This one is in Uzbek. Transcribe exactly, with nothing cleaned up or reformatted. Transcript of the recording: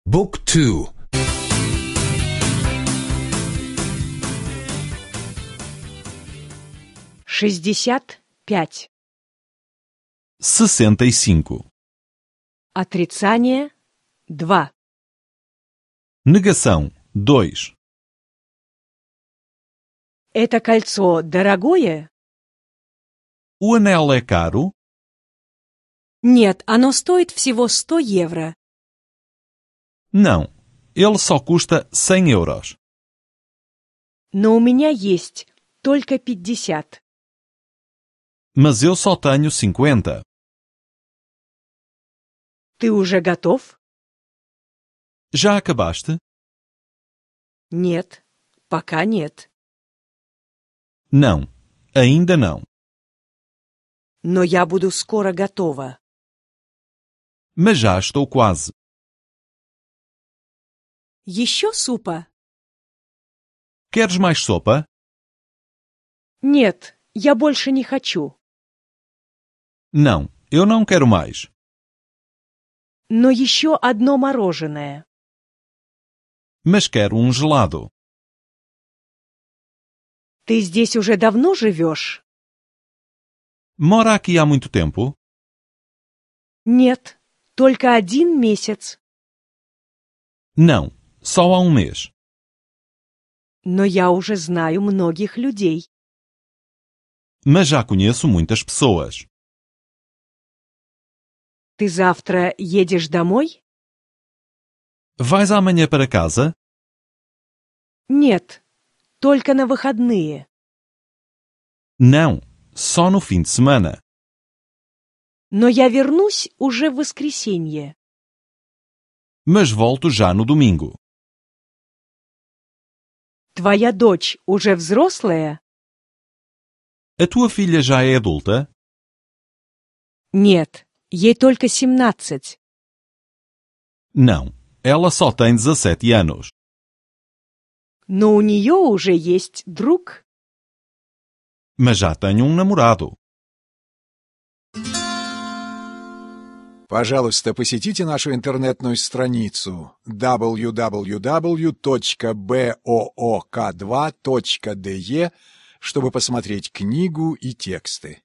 Book two. Шестьдесят пять. Sessenta e cinco. Отрицание два. Negação dois. Это кольцо дорогое? O anel é caro? Нет, оно стоит всего сто евро. Não, ele só custa cem euros. Но у меня есть только пятьдесят. Mas eu só tenho cinquenta. Ты уже готов? Já acabaste? Нет, пока нет. Não, ainda não. Но я буду скоро готова. Mas já estou quase. Еще супа? Queres mais sopa? Нет, я больше не хочу. Não, eu não quero mais. Но еще одно мороженое. Mas quero um gelado. Ты здесь уже давно живешь? Mora aqui há muito tempo? Нет, только один месяц. Não, só há um mês. Но я уже знаю многих людей. Mas já conheço muitas pessoas. Ты завтра едешь домой? Vais amanhã para casa? Нет, только на выходные. Não, só no fim de semana. Но я вернусь уже в воскресенье. Mas volto já no domingo. Твоя дочь уже взрослая? A tua filha já é adulta? Нет, ей только семнадцать. Não, ela só tem dezessete anos. Но у нее уже есть друг. Mas já tem um namorado. Пожалуйста, посетите нашу интернетную страницу дабл ю дабл ю дабл ю точка бок два точка де, чтобы посмотреть книгу и тексты.